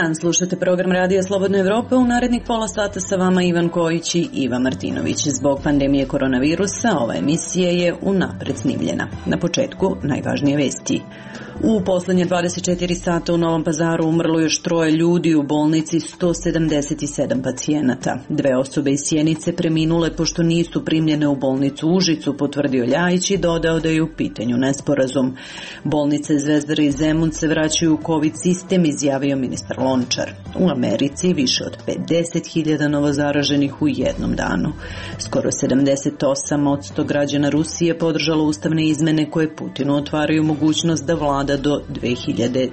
dan, slušate program Radija Slobodna Evropa. U narednih pola sata sa vama Ivan Kojić i Iva Martinović. Zbog pandemije koronavirusa ova emisija je unapred snimljena. Na početku najvažnije vesti. U poslednje 24 sata u Novom Pazaru umrlo još 3 ljudi, u bolnici 177 pacijenata. 2 osobe iz Sjenice preminule pošto nisu primljene u bolnicu Užicu, potvrdio Ljajić i dodao da je u pitanju nesporazum. Bolnice Zvezdara i Zemun se vraćaju u COVID sistem, izjavio ministar Lončar. U Americi više od 50.000 novozaraženih u jednom danu. Skoro 78% građana Rusije podržalo ustavne izmene koje Putinu otvaraju mogućnost da vlada do 2036.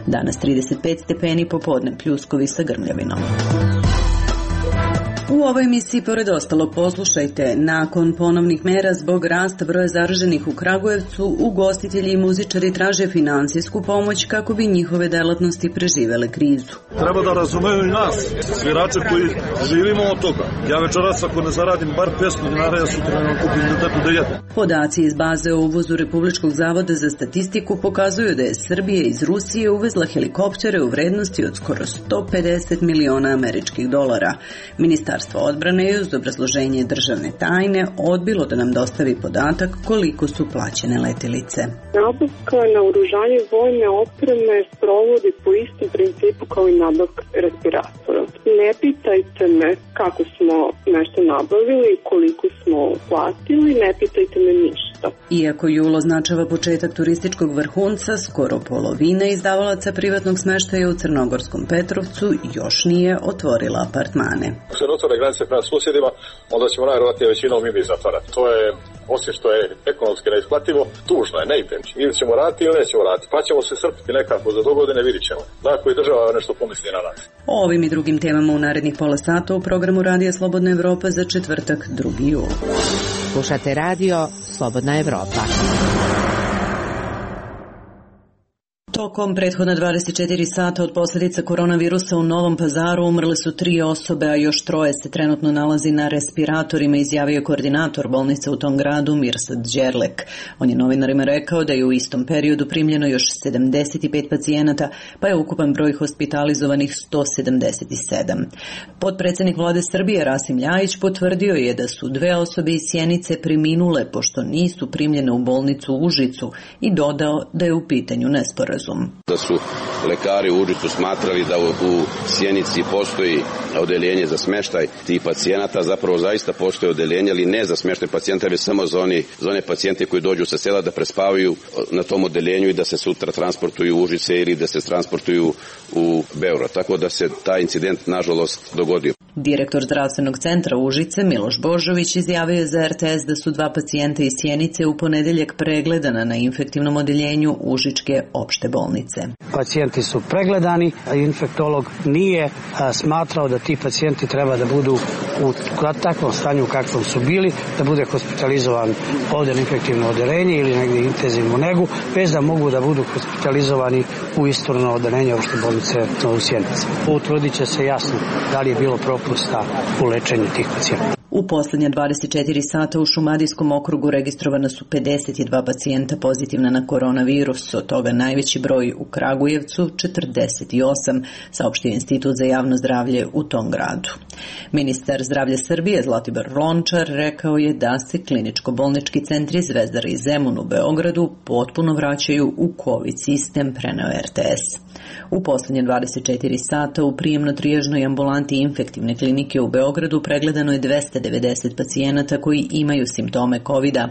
Danas 35 stepeni, popodne pljuskovi sa grmljavinom. U ovoj emisiji, pored ostalog, poslušajte: nakon ponovnih mera zbog rasta broja zaraženih u Kragujevcu, ugostitelji i muzičari traže finansijsku pomoć kako bi njihove delatnosti preživele krizu. Treba da razumeju i nas, svirače koji živimo od toga. Ja večeras ako ne zaradim bar 500 dinara, ja sutra ne kupim da jedem. Podaci iz baze o uvozu Republičkog zavoda za statistiku pokazuju da je Srbija iz Rusije uvezla helikoptere u vrednosti od skoro 150 miliona američkih dolara. Ministarstvo odbrane je uz obrazloženje državne tajne odbilo da nam dostavi podatak koliko su plaćene letelice. Nabavka naoružanja vojne opreme sprovodi po istom principu kao i nabavka respiratora. Ne pitajte me kako smo nešto nabavili i koliko smo platili, ne pitajte me ništa. Iako jul označava početak turističkog vrhunca, skoro polovina izdavalaca privatnog smeštaja u Crnogorskom Petrovcu još nije otvorila apartmane. Ako se otvore granice prema susjedima, onda ćemo najvjerojatnije većinom i mi zatvarati. To je, osim što je ekonomski neisplativo, tužno je, ne idem. Ili ćemo raditi ili nećemo raditi. Pa ćemo se srpiti nekako za dogodine, vidit ćemo. Dakle, i država nešto pomisli na nas. O ovim i drugim temama u narednih pola sata u programu Radija Slobodna Evropa za četvrtak 2. jul. Slušate Radio Slobodna Evropa. Tokom prethodna 24 sata od posljedica koronavirusa u Novom Pazaru umrle su 3 osobe, a još 3 se trenutno nalazi na respiratorima, izjavio koordinator bolnice u tom gradu Mirsad Đerlek. On je novinarima rekao da je u istom periodu primljeno još 75 pacijenata, pa je ukupan broj hospitalizovanih 177. Potpredsjednik vlade Srbije Rasim Ljajić potvrdio je da su 2 osobe iz Sjenice preminule pošto nisu primljene u bolnicu Užicu i dodao da je u pitanju nesporazum. Da su lekari u Užicu smatrali da u Sjenici postoji odeljenje za smeštaj tih pacijenata, zapravo zaista postoji odeljenje, ali ne za smeštaj pacijenta, već samo za one pacijente koji dođu sa sela da prespavaju na tom odeljenju i da se sutra transportuju u Užice ili da se transportuju u Beograd. Tako da se taj incident nažalost dogodio. Direktor zdravstvenog centra Užice Miloš Božović izjavio je za RTS da su 2 pacijenta iz Sjenice u ponedeljak pregledana na infektivnom odeljenju Užičke opšte bolnice. Pacijenti su pregledani, a infektolog nije smatrao da ti pacijenti treba da budu u takvom stanju u kakvom su bili, da bude hospitalizovan ovdje na infektivno odeljenje ili negdje intenzivnu negu, bez da mogu da budu hospitalizovani u isturno odeljenje opšte bolnice u Sjenici. Utvrdit će se jasno da li je bilo propusta u lečenju tih pacijenta. U posljednje 24 sata u Šumadijskom okrugu registrovana su 52 pacijenta pozitivna na koronavirus, od toga najveći broj u Kragujevcu, 48, saopštio Institut za javno zdravlje u tom gradu. Ministar zdravlja Srbije Zlatibor Lončar rekao je da se kliničko-bolnički centri Zvezdara i Zemun u Beogradu potpuno vraćaju u COVID sistem, preneo RTS. U posljednje 24 sata u prijemno-trijažnoj ambulanti infektivne klinike u Beogradu pregledano je 290 pacijenata koji imaju simptome COVID-a,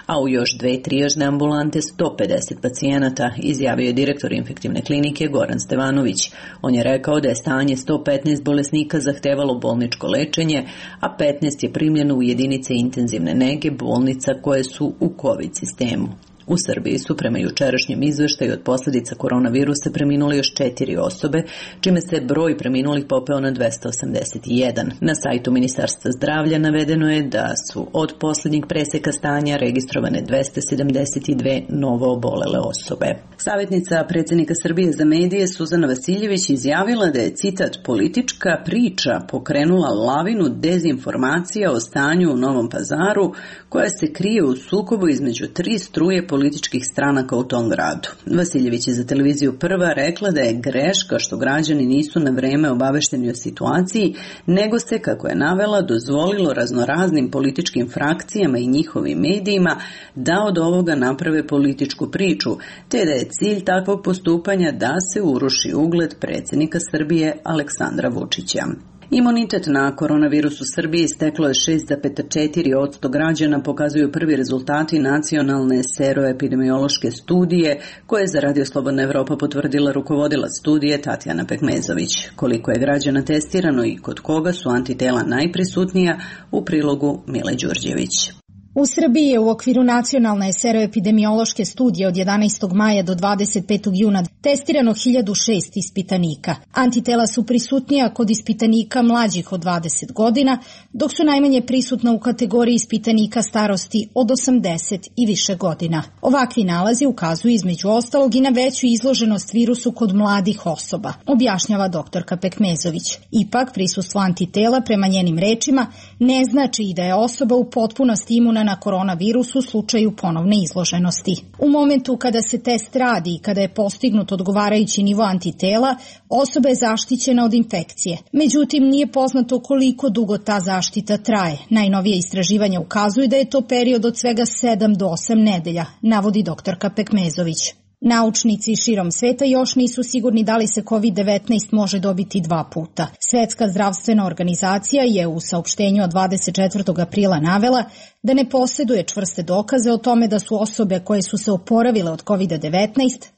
a u još 2 trijažne ambulante 150 pacijenata, izjavio je direktor infektivne klinike Goran Stevanović. On je rekao da je stanje 115 bolesnika zahtevalo bolničko lečenje, a 15 je primljeno u jedinice intenzivne nege bolnica koje su u COVID sistemu. U Srbiji su prema jučerašnjem izveštaju od posljedica koronavirusa preminuli još 4 osobe, čime se broj preminulih popeo na 281. Na sajtu Ministarstva zdravlja navedeno je da su od posljednjeg preseka stanja registrovane 272 novo obolele osobe. Savjetnica predsjednika Srbije za medije Suzana Vasiljević izjavila da je, citat, politička priča pokrenula lavinu dezinformacija o stanju u Novom Pazaru koja se krije u sukobu između 3 struje političkih stranaka u tom gradu. Vasiljević je za televiziju Prva rekla da je greška što građani nisu na vreme obavešteni o situaciji, nego se, kako je navela, dozvolilo raznoraznim političkim frakcijama i njihovim medijima da od ovoga naprave političku priču, te da je cilj takvog postupanja da se uruši ugled predsjednika Srbije Aleksandra Vučića. Imunitet na koronavirus u Srbiji steklo je 6,4% građana, pokazuju prvi rezultati nacionalne seroepidemiološke studije koje je za Radio Slobodna Evropa potvrdila rukovodilac studije Tatjana Pekmezović. Koliko je građana testirano i kod koga su antitela najprisutnija, u prilogu Mile Đurđević. U Srbiji je u okviru nacionalne seroepidemiološke studije od 11. maja do 25. juna testirano 1006 ispitanika. Antitela su prisutnija kod ispitanika mlađih od 20 godina, dok su najmanje prisutna u kategoriji ispitanika starosti od 80 i više godina. Ovakvi nalazi ukazuju između ostalog i na veću izloženost virusu kod mladih osoba, objašnjava doktorka Pekmezović. Ipak, prisustvo antitela, prema njenim rečima, ne znači i da je osoba u potpunosti imuna na koronavirus u slučaju ponovne izloženosti. U momentu kada se test radi i kada je postignut odgovarajući nivo antitela, osoba je zaštićena od infekcije. Međutim, nije poznato koliko dugo ta zaštita traje. Najnovije istraživanja ukazuju da je to period od svega 7 do 8 nedelja, navodi doktorka Pekmezović. Naučnici širom sveta još nisu sigurni da li se COVID-19 može dobiti 2 puta. Svetska zdravstvena organizacija je u saopštenju od 24. aprila navela da ne posjeduje čvrste dokaze o tome da su osobe koje su se oporavile od COVID-19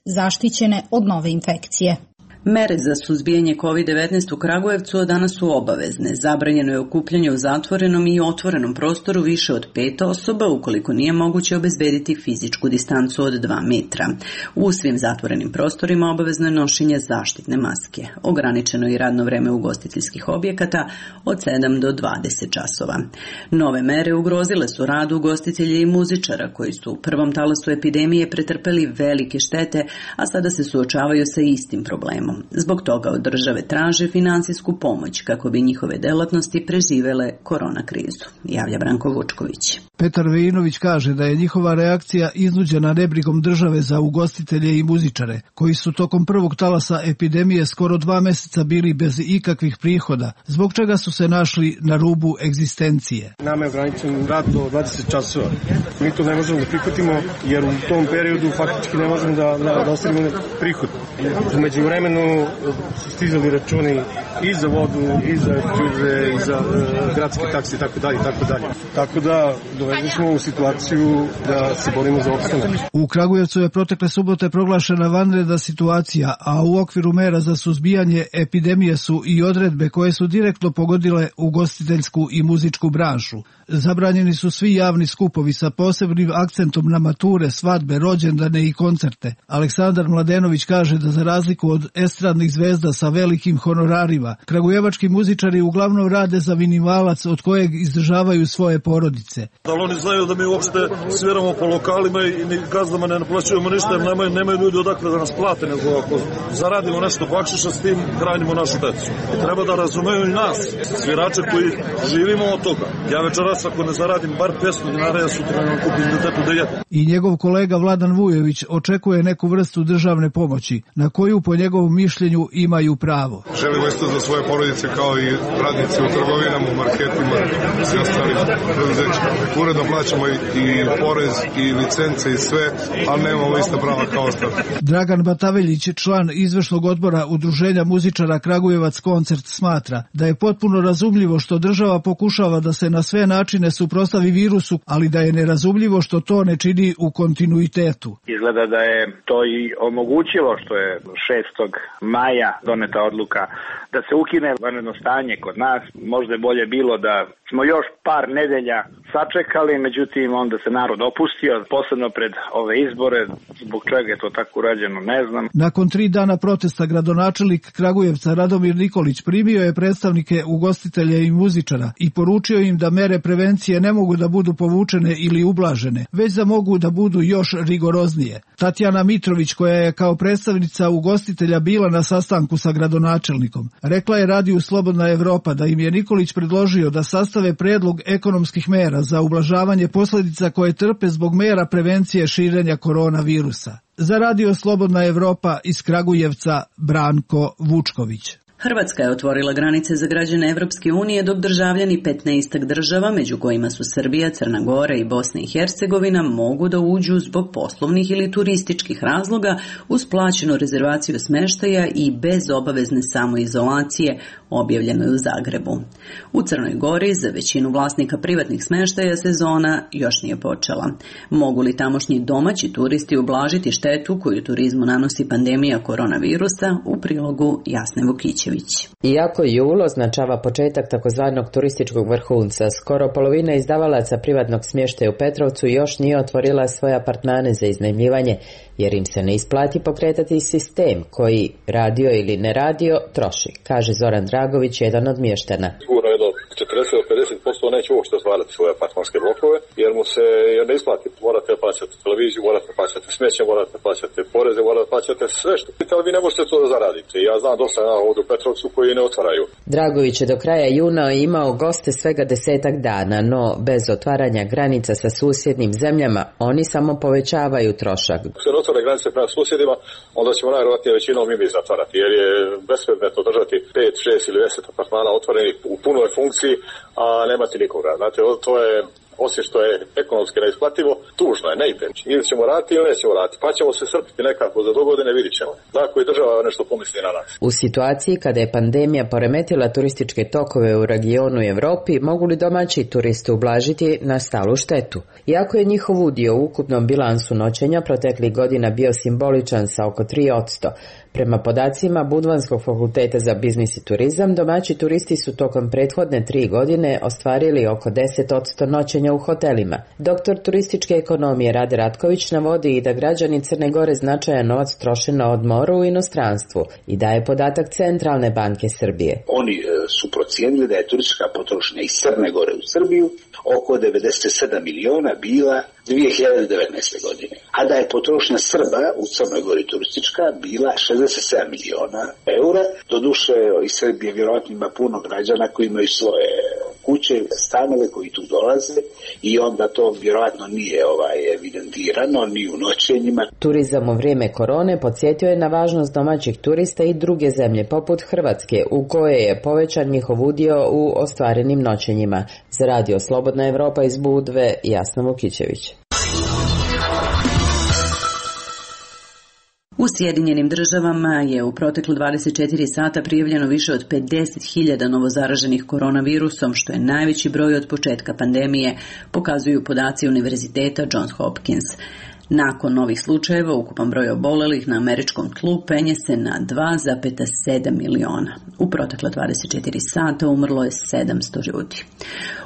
zaštićene od nove infekcije. Mere za suzbijanje COVID-19 u Kragujevcu od danas su obavezne. Zabranjeno je okupljanje u zatvorenom i otvorenom prostoru više od 5 osoba ukoliko nije moguće obezbediti fizičku distancu od 2 metra. U svim zatvorenim prostorima obavezno je nošenje zaštitne maske. Ograničeno je i radno vreme ugostiteljskih objekata od 7 do 20 časova. Nove mere ugrozile su rad ugostitelja i muzičara koji su u prvom talasu epidemije pretrpeli velike štete, a sada se suočavaju sa istim problemom. Zbog toga od države traže finansijsku pomoć kako bi njihove delatnosti preživele korona krizu, javlja Branko Vučković. Petar Vejinović kaže da je njihova reakcija iznuđena nebrigom države za ugostitelje i muzičare, koji su tokom prvog talasa epidemije skoro 2 meseca bili bez ikakvih prihoda, zbog čega su se našli na rubu egzistencije. Nama je ograničen rad do 20 časova. Mi to ne možemo da prihvatimo jer u tom periodu faktički ne možemo da ostavimo prihod. Umeđu vremenu su stizali računi i za vodu, i za čuze, i za gradske takse, itd. Tako da dovedeni smo u situaciju da se borimo za opstanak. U Kragujevcu je protekle subote proglašena vanredna situacija, a u okviru mera za suzbijanje epidemije su i odredbe koje su direktno pogodile ugostiteljsku i muzičku branšu. Zabranjeni su svi javni skupovi sa posebnim akcentom na mature, svadbe, rođendane i koncerte. Aleksandar Mladenović kaže da za razliku od estradnih zvezda sa velikim honorarima, kragujevački muzičari uglavnom rade za minimalac od kojeg izdržavaju svoje porodice. Da li oni znaju da mi uopšte sviramo po lokalima i ni gazdama ne naplaćujemo ništa, jer nemaju ljudi odakle da nas plate, nego ako zaradimo nešto bakšiša, s tim hranimo našu decu. Treba da razumeju i nas, svirače koji živimo od toga. Ja večeras ako ne zaradim bar 500 dinara, ja sutra ne kupim detetu da jedem. I njegov kolega Vladan Vujović očekuje neku vrstu državne pomoći, na koju po njegovom mišljenju imaju pravo. Želimo isto za svoje porodice kao i radnici u trgovinama, u marketima, svi ostali preduzeća. Uredno plaćamo i porez i licence i sve, ali nemamo ista prava kao ostali. Dragan Bataveljić, član izvršnog odbora Udruženja muzičara Kragujevac koncert, smatra da je potpuno razumljivo što država pokušava da se na sve načine suprotstavi virusu, ali da je nerazumljivo što to ne čini u kontinuitetu. Izgleda da je to i omogućilo što je 6. maja doneta odluka da se ukine vanredno stanje kod nas. Možda je bolje bilo da smo još par nedelja sačekali, međutim onda se narod opustio, posebno pred ove izbore. Zbog čega je to tako urađeno, ne znam. Nakon 3 dana protesta gradonačelnik Kragujevca Radomir Nikolić primio je predstavnike ugostitelja i muzičara i poručio im da mere prevencije ne mogu da budu povučene ili ublažene, već da mogu da budu još rigoroznije. Tatjana Mitrović, koja je kao predstavnica ugostitelja bila bila na sastanku sa gradonačelnikom. Rekla je radiju Slobodna Evropa da im je Nikolić predložio da sastave predlog ekonomskih mera za ublažavanje posljedica koje trpe zbog mera prevencije širenja koronavirusa. Za radio Slobodna Evropa iz Kragujevca Branko Vučković. Hrvatska je otvorila granice za građane Evropske unije, dok državljani 15 država, među kojima su Srbija, Crna Gora i Bosna i Hercegovina, mogu da uđu zbog poslovnih ili turističkih razloga uz plaćenu rezervaciju smeštaja i bez obavezne samoizolacije, objavljeno je u Zagrebu. U Crnoj Gori za većinu vlasnika privatnih smeštaja sezona još nije počela. Mogu li tamošnji domaći turisti ublažiti štetu koju turizmu nanosi pandemija koronavirusa? U prilogu Jasne Vukićević. Iako jul označava početak takozvanog turističkog vrhunca, skoro polovina izdavalaca privatnog smještaja u Petrovcu još nije otvorila svoje apartmane za iznajmljivanje, jer im se ne isplati pokretati sistem koji, radio ili ne radio, troši, kaže Zoran Dragović, jedan od mještana. Sigurno jedno 40-50% neće uopšte otvarati svoje apartmanske blokove, jer mu se ne isplati. Morate plaćati televiziju, morate plaćati smeće, morate plaćati poreze, morate plaćati sve što. Ali vi ne možete to da zaradite. Ja znam dosta ovdje u Petrovcu koji ne otvaraju. Dragović je do kraja juna imao goste svega 10 dana, no bez otvaranja granica sa susjednim zemljama, oni samo povećavaju trošak. Ako se ne otvore granice prema susjedima, onda ćemo najvjerojatnije većinom i mi zatvarati, jer je bespredmetno držati 5, 6 ili 10 apartmana otvorenih u punoj funkciji, a nemati nikoga. Znate, to je, osim što je ekonomski neisplativo, tužno je, ne ide. Ili ćemo raditi ili nećemo raditi, pa ćemo se srpiti nekako za dogodine, vidit ćemo. Tako i država nešto pomisli na nas. U situaciji kada je pandemija poremetila turističke tokove u regionu i Evropi, mogu li domaći turisti ublažiti nastalu štetu? Iako je njihov udio u ukupnom bilansu noćenja proteklih godina bio simboličan sa oko 3%, prema podacima Budvanskog fakulteta za biznis i turizam, domaći turisti su tokom prethodne 3 godine ostvarili oko 10% noćenja u hotelima. Doktor turističke ekonomije Rade Ratković navodi i da građani Crne Gore značajan novac troše na odmoru u inostranstvu i daje podatak Centralne banke Srbije. Oni su procijenili da je turistička potrošnja iz Crne Gore u Srbiju oko 97 miliona bila 2019. godine, a da je potrošnja Srba u Crnoj Gori turistička bila 67 miliona eura. Doduše, iz Srbije vjerojatno ima puno građana koji imaju svoje kuće, stanove koji tu dolaze i onda to vjerojatno nije evidentirano ni u noćenjima. Turizam u vrijeme korone podsjetio je na važnost domaćih turista i druge zemlje poput Hrvatske, u kojoj je povećan njihov udio u ostvarenim noćenjima. Za radio Slobodna Evropa iz Budve, Jasna Vukićević. U Sjedinjenim državama je u proteklu 24 sata prijavljeno više od 50.000 novozaraženih koronavirusom, što je najveći broj od početka pandemije, pokazuju podaci Univerziteta Johns Hopkins. Nakon novih slučajeva, ukupan broj obolelih na američkom tlu penje se na 2,7 miliona. U protekla 24 sata umrlo je 700 ljudi.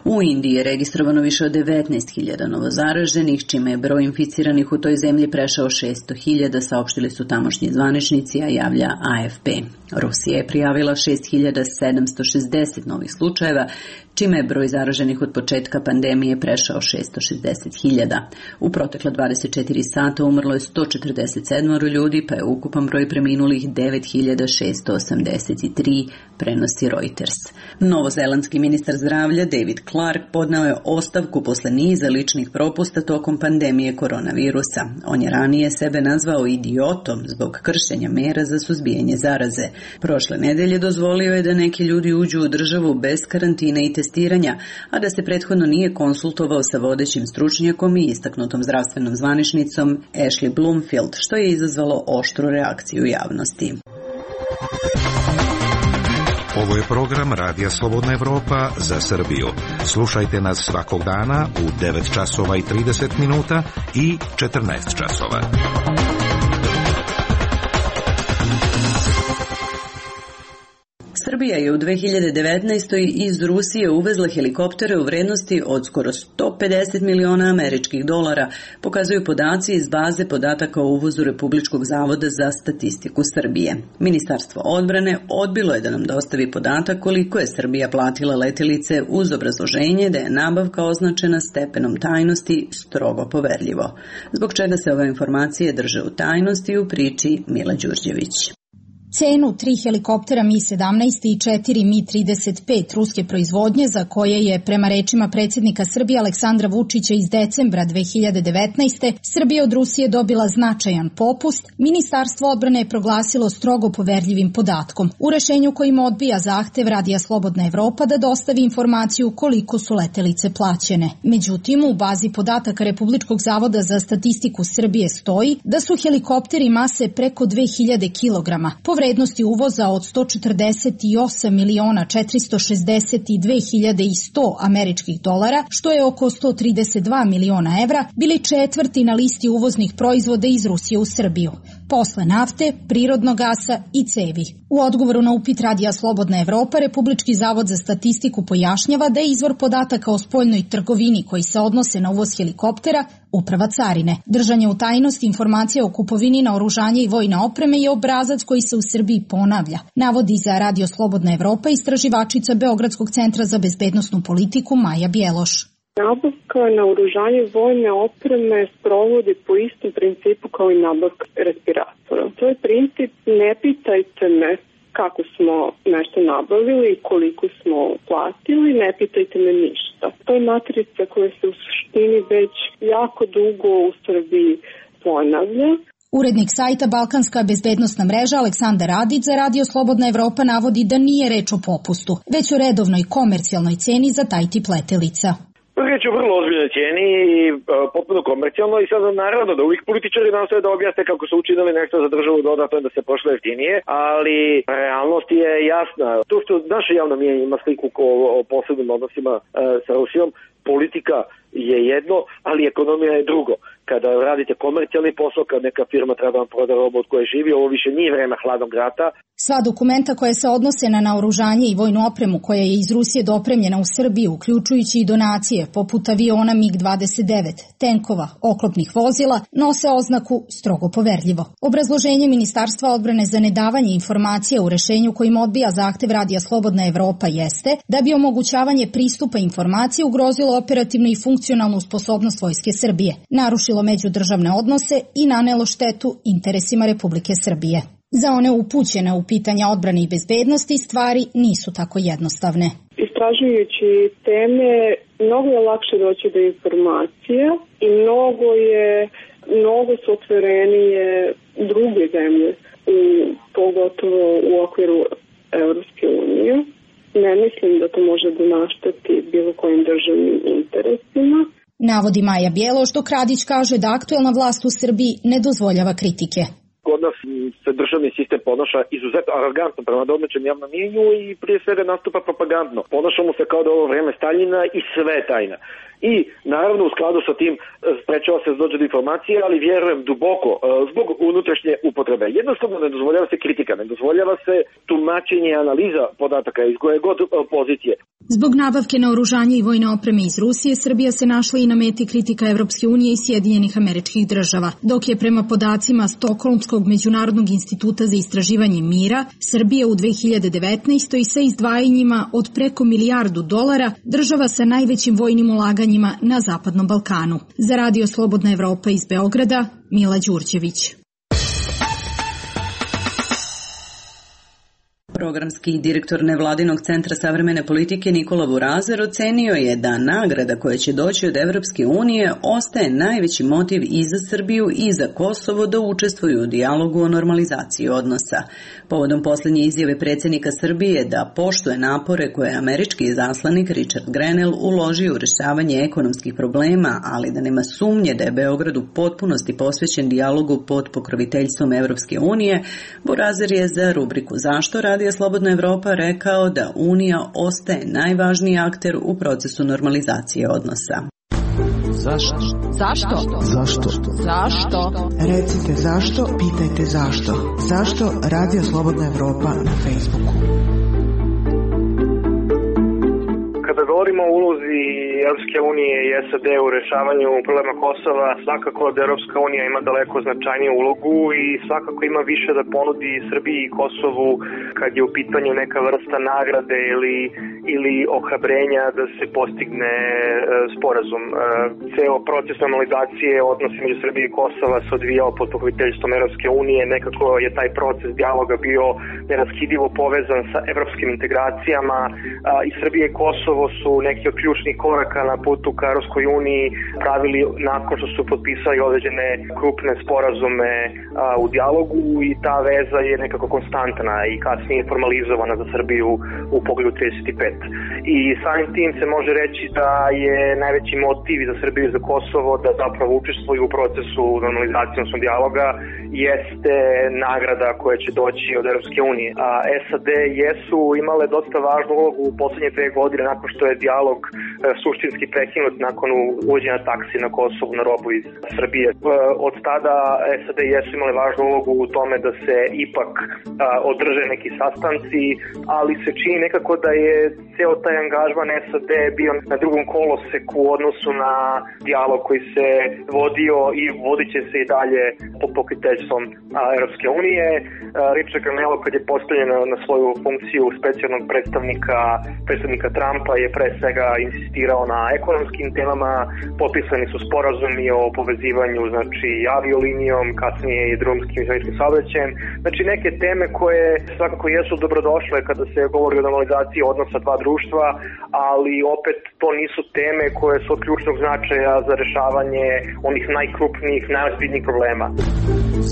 U Indiji je registrovano više od 19.000 novozaraženih, čime je broj inficiranih u toj zemlji prešao 600.000, saopštili su tamošnji zvaničnici, a javlja AFP. Rusija je prijavila 6.760 novih slučajeva, čime je broj zaraženih od početka pandemije prešao 660.000. U protekla 24 sata umrlo je 147 ljudi, pa je ukupan broj preminulih 9.683, prenosi Reuters. Novozelandski ministar zdravlja David Clark podneo je ostavku posle niza ličnih propusta tokom pandemije koronavirusa. On je ranije sebe nazvao idiotom zbog kršenja mera za suzbijanje zaraze. Prošle nedelje dozvolio je da neki ljudi uđu u državu bez karantine i testiranja, a da se prethodno nije konsultovao sa vodećim stručnjakom i istaknutom zdravstvenom zvaničnicom Ashley Bloomfield, što je izazvalo oštru reakciju javnosti. Ovo je program Radija Slobodna Evropa za Srbiju. Slušajte nas svakog dana u 9 časova i 30 minuta i 14 časova. Srbija je u 2019. iz Rusije uvezla helikoptere u vrednosti od skoro 150 miliona američkih dolara, pokazuju podaci iz baze podataka o uvozu Republičkog zavoda za statistiku Srbije. Ministarstvo odbrane odbilo je da nam dostavi podatak koliko je Srbija platila letelice uz obrazloženje da je nabavka označena stepenom tajnosti strogo poverljivo. Zbog čega se ove informacije drže u tajnosti, u priči Mila Đurđević. Cenu 3 helikoptera Mi-17 i 4 Mi-35 ruske proizvodnje, za koje je, prema rečima predsjednika Srbije Aleksandra Vučića iz decembra 2019. Srbija od Rusije dobila značajan popust, Ministarstvo odbrane je proglasilo strogo poverljivim podatkom. U rešenju kojim odbija zahtev Radija Slobodna Evropa da dostavi informaciju koliko su letelice plaćene. Međutim, u bazi podataka Republičkog zavoda za statistiku Srbije stoji da su helikopteri mase preko 2000 kg, po vrednosti uvoza od 148.462.100 američkih dolara, što je oko 132 miliona evra, bili četvrti na listi uvoznih proizvoda iz Rusije u Srbiju, posle nafte, prirodnog gasa i cevi. U odgovoru na upit Radija Slobodna Evropa, Republički zavod za statistiku pojašnjava da je izvor podataka o spoljnoj trgovini koji se odnose na uvoz helikoptera Uprava carine. Držanje u tajnosti informacija o kupovini naoružanja i vojne opreme je obrazac koji se u Srbiji ponavlja, navodi za Radio Slobodna Evropa istraživačica Beogradskog centra za bezbednosnu politiku Maja Bjeloš. Nabavka naoružanja i vojne opreme sprovodi po istom principu kao i nabavka respiratora. To je princip ne pitajte me kako smo nešto nabavili i koliko smo platili, ne pitajte me ništa. To je matrica koja se u suštini već jako dugo u Srbiji ponavlja. Urednik sajta Balkanska bezbednosna mreža Aleksandar Radić za Radio Slobodna Evropa navodi da nije reč o popustu, već o redovnoj komercijalnoj ceni za taj tip letelica. Riječ je o vrlo ozbiljnoj cijeni i potpuno komercijalno i sad naravno da uvijek političari nastoje da objasne kako su učinili nešto za državu dodatno da se prošlo jeftinije, ali realnost je jasna. To što naše javno mnijenje ima sliku o posebnim odnosima sa Rusijom, politika je jedno, ali ekonomija je drugo. Kada radite komercijalni posao, kad neka firma treba da vam proda robu od koje živi, ovo više nije vreme hladnog rata. Sva dokumenta koje se odnose na naoružanje i vojnu opremu koja je iz Rusije dopremljena u Srbiju, uključujući i donacije poput aviona MiG-29, tenkova, oklopnih vozila, nose oznaku strogo poverljivo. Obrazloženje Ministarstva odbrane za nedavanje informacija u rešenju kojim odbija zahtev Radija Slobodna Evropa jeste da bi omogućavanje pristupa informacije ugrozilo operativnu i funkcionalnu sposobnost Vojske Srbije, narušilo međudržavne odnose i nanelo štetu interesima Republike Srbije. Za one upućene u pitanja odbrane i bezbednosti stvari nisu tako jednostavne. Istražujući teme, mnogo je lakše doći do informacija i mnogo su otvorenije druge zemlje, pogotovo u okviru Europske unije. Ne mislim da to može da našteti bilo kojim državnim interesima. Navodi Maja Bjeloš, dok Radić kaže da aktuelna vlast u Srbiji ne dozvoljava kritike. Kod nas se državni sistem ponaša izuzetno arogantno prema domaćem javnom mnijenju i prije svega nastupa propagandno. Ponašamo se kao da ovo vreme Staljina i sve je tajna. I naravno u skladu sa tim sprečava se da dođe do informacije, ali vjerujem duboko zbog unutrašnje upotrebe. Jednostavno ne dozvoljava se kritika, ne dozvoljava se tumačenje i analiza podataka iz koje god pozicije. Zbog nabavke naoružanja i vojne opreme iz Rusije, Srbija se našla i na meti kritika Evropske unije i Sjedinjenih Američkih Država, dok je prema podacima Stokholmskog međunarodnog instituta za istraživanje mira, Srbija u 2019. sa izdvajanjima od preko $1 milijardu država sa najvećim vojnim ulaganjima na Zapadnom Balkanu. Za Radio Slobodna Evropa iz Beograda, Mila Đurđević. Programski direktor nevladinog centra savremene politike Nikola Burazer ocenio je da nagrada koja će doći od Evropske unije ostaje najveći motiv i za Srbiju i za Kosovo da učestvuju u dijalogu o normalizaciji odnosa. Povodom posljednje izjave predsjednika Srbije da poštuje napore koje je američki izaslanik Richard Grenell uložio u rješavanje ekonomskih problema, ali da nema sumnje da je Beograd u potpunosti posvećen dijalogu pod pokroviteljstvom Evropske unije, Burazer je za rubriku Zašto Radija Slobodna Evropa rekao da Unija ostaje najvažniji akter u procesu normalizacije odnosa. Zašto? Zašto? Zašto? Zašto? Recite zašto, pitajte zašto. Zašto Radio Slobodna Evropa na Facebooku? Kada govorimo o ulozi Europske unije i SAD u rešavanju problema Kosova, svakako da Europska unija ima daleko značajniju ulogu i svakako ima više da ponudi Srbiji i Kosovu kad je u pitanju neka vrsta nagrade ili ohrabrenja da se postigne sporazum. Ceo proces normalizacije odnosa među Srbije i Kosova se odvijao pod pokroviteljstvom Evropske unije. Nekako je taj proces dijaloga bio neraskidivo povezan sa evropskim integracijama i Srbije i Kosovo su neki od ključnih koraka na putu ka Evropskoj uniji pravili nakon što su potpisali određene krupne sporazume u dijalogu i ta veza je nekako konstantna i kasnije formalizovana za Srbiju u pogledu 35. I samim tim se može reći da je najveći motiv za Srbiju i za Kosovo da zapravo učestvuju u procesu normalizacije odnosno dijaloga jeste nagrada koja će doći od Evropske unije. A SAD jesu imale dosta važnu ulogu u poslednje 2 godine nakon što je dijalog suštinski prekinut nakon uvođenja taksi na Kosovu na robu iz Srbije. Od tada SAD jesu imale važnu ulogu u tome da se ipak održe neki sastanci, ali se čini nekako da je ceo taj angažman SAD bio na drugom koloseku u odnosu na dijalog koji se vodio i vodit će se i dalje pod pokroviteljstvom Evropske unije. Richard Granello kad je postavljen na svoju funkciju specijalnog predstavnika Trumpa je pre svega insistirao na ekonomskim temama, potpisani su sporazumi o povezivanju znači aviolinijom, kasnije i drumskim i železničkim saobraćajem. Znači neke teme koje svakako jesu dobrodošle kada se govori o normalizaciji odnosa dva društva, ali opet to nisu teme koje su od ključnog značaja za rešavanje onih najkrupnijih, najozbiljnijih problema.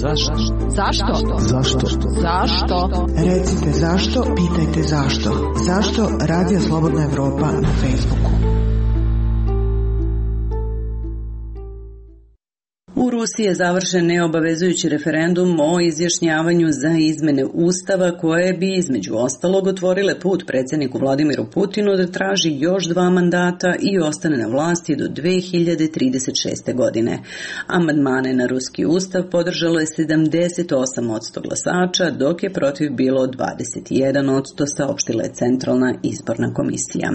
Zašto? Zašto? Zašto? Zašto? Recite zašto, pitajte zašto. Zašto Radio Slobodna Evropa na Facebooku? U Rusiji je završen neobavezujući referendum o izjašnjavanju za izmene Ustava koje bi između ostalog otvorile put predsjedniku Vladimiru Putinu da traži još 2 mandata i ostane na vlasti do 2036. godine. Amandmane na ruski Ustav podržalo je 78% glasača, dok je protiv bilo 21%, saopštila je Centralna izborna komisija.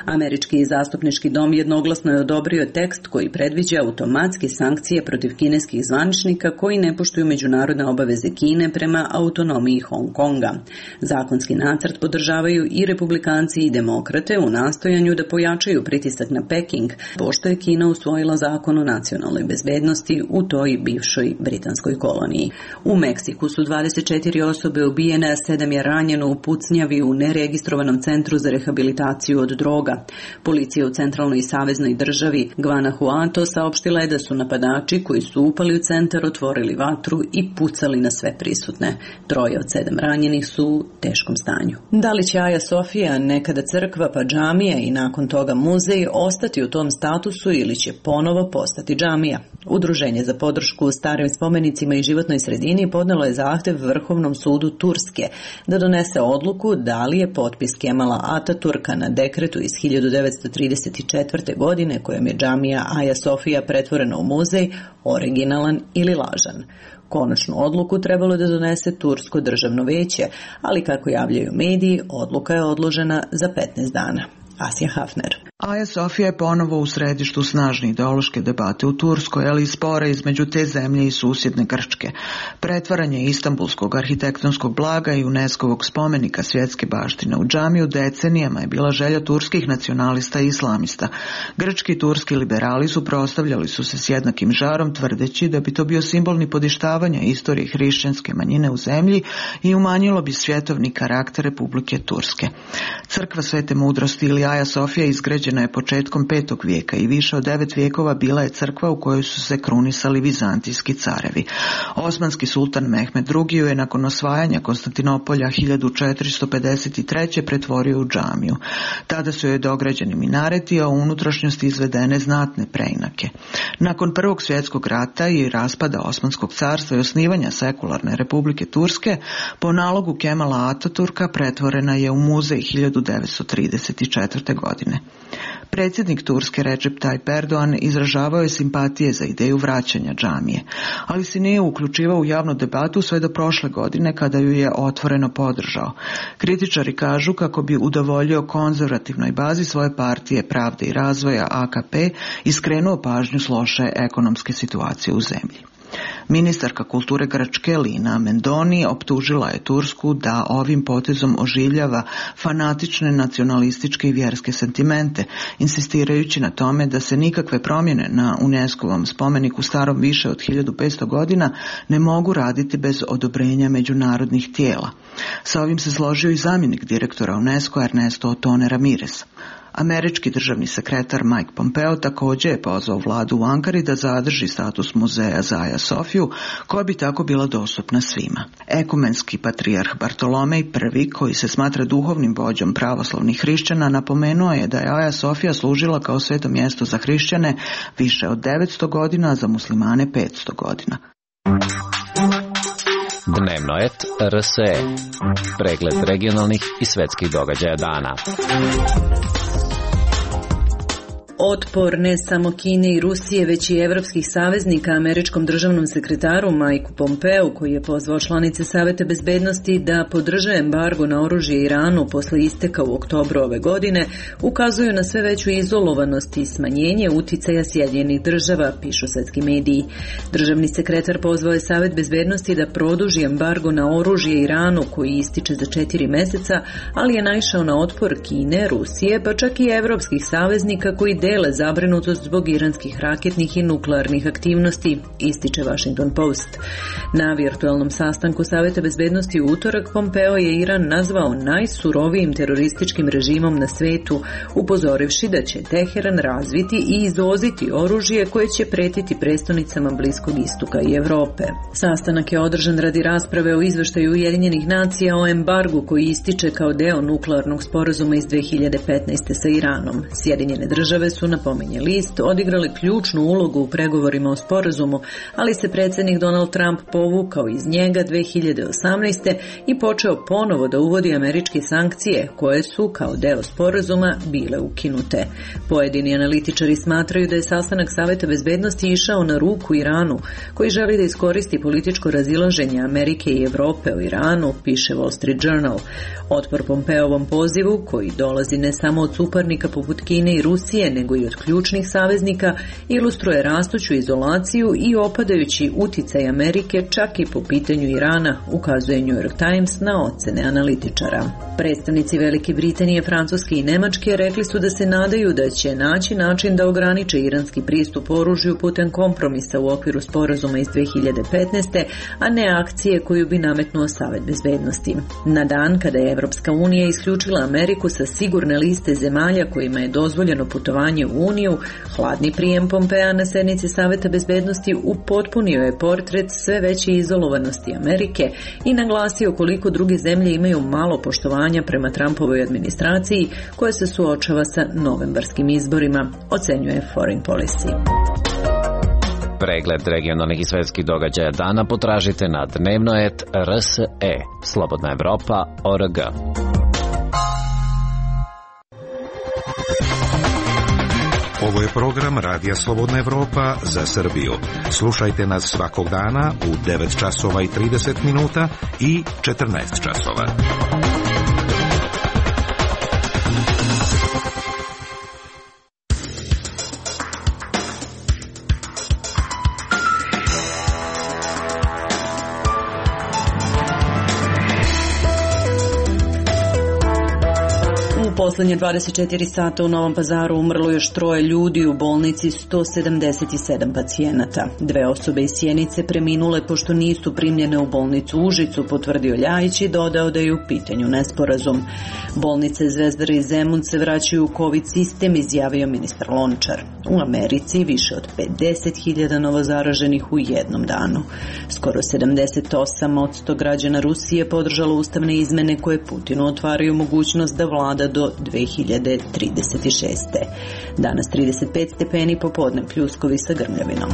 Američki zastupnički dom jednoglasno je odobrio tekst koji predviđa automatske sankcije protiv kineskih zvaničnika koji ne poštuju međunarodne obaveze Kine prema autonomiji Hong Konga. Zakonski nacrt podržavaju i republikanci i demokrate u nastojanju da pojačaju pritisak na Peking, pošto je Kina usvojila zakon o nacionalnoj bezbednosti u toj bivšoj britanskoj koloniji. U Meksiku su 24 osobe ubijene, a 7 je ranjeno u pucnjavi u neregistrovanom centru za rehabilitaciju od droga. Policija u centralnoj i saveznoj državi Guanajuato saopštila je da su napadači koji su upali u centar otvorili vatru i pucali na sve prisutne. 3 od 7 ranjenih su u teškom stanju. Da li će Aja Sofija, nekada crkva pa džamija i nakon toga muzej, ostati u tom statusu ili će ponovo postati džamija? Udruženje za podršku starim spomenicima i životnoj sredini podnelo je zahtev Vrhovnom sudu Turske da donese odluku da li je potpis Kemala Ataturka na dekretu iz 1934. godine kojom je džamija Aja Sofija pretvorena u muzej originalan ili lažan. Konačnu odluku trebalo da donese Tursko državno veće, ali kako javljaju mediji, odluka je odložena za 15 dana. Asja Hafner. Aja Sofija je ponovo u središtu snažne ideološke debate u Turskoj, ali i spora između te zemlje i susjedne Grčke. Pretvaranje istambulskog arhitektonskog blaga i UNESCO-vog spomenika svjetske baštine u džamiju decenijama je bila želja turskih nacionalista i islamista. Grčki i turski liberali suprotstavljali su se s jednakim žarom, tvrdeći da bi to bio simbol nipodištavanja istorije hrišćanske manjine u zemlji i umanjilo bi svjetovni karakter Republike Turske. Crkva Svete mudrosti ili Aja Sofija izgrađena je početkom 5. vijeka i više od 9 vijekova bila je crkva u kojoj su se krunisali vizantijski carevi. Osmanski sultan Mehmed II je nakon osvajanja Konstantinopolja 1453. pretvorio u džamiju. Tada su joj dograđeni minareti, a u unutrašnjosti izvedene znatne preinake. Nakon Prvog svjetskog rata i raspada Osmanskog carstva i osnivanja sekularne Republike Turske, po nalogu Kemala Ataturka pretvorena je u muzej 1934. godine. Predsjednik Turske Recep Tayyip Erdogan izražavao je simpatije za ideju vraćanja džamije, ali se nije uključivao u javnu debatu sve do prošle godine kada ju je otvoreno podržao. Kritičari kažu kako bi udovoljio konzervativnoj bazi svoje partije Pravde i razvoja AKP i skrenuo pažnju s loše ekonomske situacije u zemlji. Ministarka kulture Grčke Lina Mendoni optužila je Tursku da ovim potezom oživljava fanatične nacionalističke i vjerske sentimente, insistirajući na tome da se nikakve promjene na UNESCO-vom spomeniku starom više od 1500 godina ne mogu raditi bez odobrenja međunarodnih tijela. Sa ovim se složio i zamjenik direktora UNESCO Ernesto Otone Ramirez. Američki državni sekretar Mike Pompeo također je pozvao vladu u Ankari da zadrži status muzeja za Aja Sofiju, koja bi tako bila dostupna svima. Ekumenski patrijarh Bartolomej I, koji se smatra duhovnim vođom pravoslavnih hrišćana, napomenuo je da je Aja Sofija služila kao sveto mjesto za hrišćane više od 900 godina, a za muslimane 500 godina. Dnevno et RSE. Pregled regionalnih i svetskih događaja dana. Otpor ne samo Kine i Rusije, već i evropskih saveznika američkom državnom sekretaru Mike Pompeu, koji je pozvao članice Saveta bezbednosti da podrže embargo na oružje Iranu posle isteka u oktobru ove godine, ukazuju na sve veću izolovanost i smanjenje uticaja Sjedinjenih država, pišu svetski mediji. Državni sekretar pozvao je Savet bezbednosti da produži embargo na oružje Iranu, koji ističe za 4 meseca, ali je naišao na otpor Kine, Rusije, pa čak i evropskih saveznika koji dele zabrinutost zbog iranskih raketnih i nuklearnih aktivnosti, ističe Washington Post. Na virtualnom sastanku Saveta bezbednosti u utorak Pompeo je Iran nazvao najsurovijim terorističkim režimom na svetu, upozorivši da će Teheran razviti i izvoziti oružje koje će pretiti prestonicama Bliskog istoka i Evrope. Sastanak je održan radi rasprave o izveštaju Ujedinjenih nacija o embargu koji ističe kao deo nuklearnog sporazuma iz 2015. sa Iranom. Sjedinjene države su, napominje list, odigrali ključnu ulogu u pregovorima o sporazumu, ali se predsjednik Donald Trump povukao iz njega 2018. i počeo ponovo da uvodi američke sankcije, koje su, kao deo sporazuma, bile ukinute. Pojedini analitičari smatraju da je sastanak Saveta bezbednosti išao na ruku Iranu, koji želi da iskoristi političko razilaženje Amerike i Evrope o Iranu, piše Wall Street Journal. Otpor Pompeovom pozivu, koji dolazi ne samo od suparnika poput Kine i Rusije, nego i od ključnih saveznika, ilustruje rastuću izolaciju i opadajući uticaj Amerike čak i po pitanju Irana, ukazuje New York Times na ocene analitičara. Predstavnici Velike Britanije, Francuske i Nemačke rekli su da se nadaju da će naći način da ograniče iranski pristup oružju putem kompromisa u okviru sporazuma iz 2015. a ne akcije koju bi nametnuo Savet bezbednosti. Na dan kada je Evropska unija isključila Ameriku sa sigurne liste zemalja kojima je dozvoljeno putovanje u Uniju, hladni prijem Pompea na sednici Saveta bezbednosti upotpunio je portret sve veće izolovanosti Amerike i naglasio koliko druge zemlje imaju malo poštovanja prema Trumpovoj administraciji koja se suočava sa novembarskim izborima, ocenjuje Foreign Policy. Pregled regionalnih i svetskih događaja dana potražite na dnevnoet.rse. Slobodna Evropa.org. Ovo je program Radija Slobodna Evropa za Srbiju. Slušajte nas svakog dana u 9 časova i 30 minuta i 14 časova. Poslednje 24 sata u Novom Pazaru umrlo još 3 ljudi, u bolnici 177 pacijenata. 2 osobe iz Sjenice preminule pošto nisu primljene u bolnicu Užicu, potvrdio Ljajić i dodao da je u pitanju nesporazum. Bolnice Zvezdara i Zemun se vraćaju u COVID sistem, izjavio ministar Lončar. U Americi više od 50.000 novozaraženih u jednom danu. Skoro 78% građana Rusije podržalo ustavne izmene koje Putinu otvaraju mogućnost da vlada do 2036. Danas 35 stepeni, popodne pljuskovi sa grmljavinom.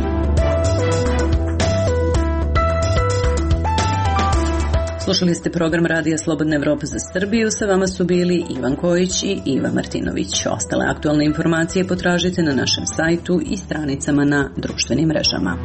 Slušali ste program Radija Slobodna Evropa za Srbiju. Sa vama su bili Ivan Kojić i Iva Martinović. Ostale aktualne informacije potražite na našem sajtu i stranicama na društvenim mrežama.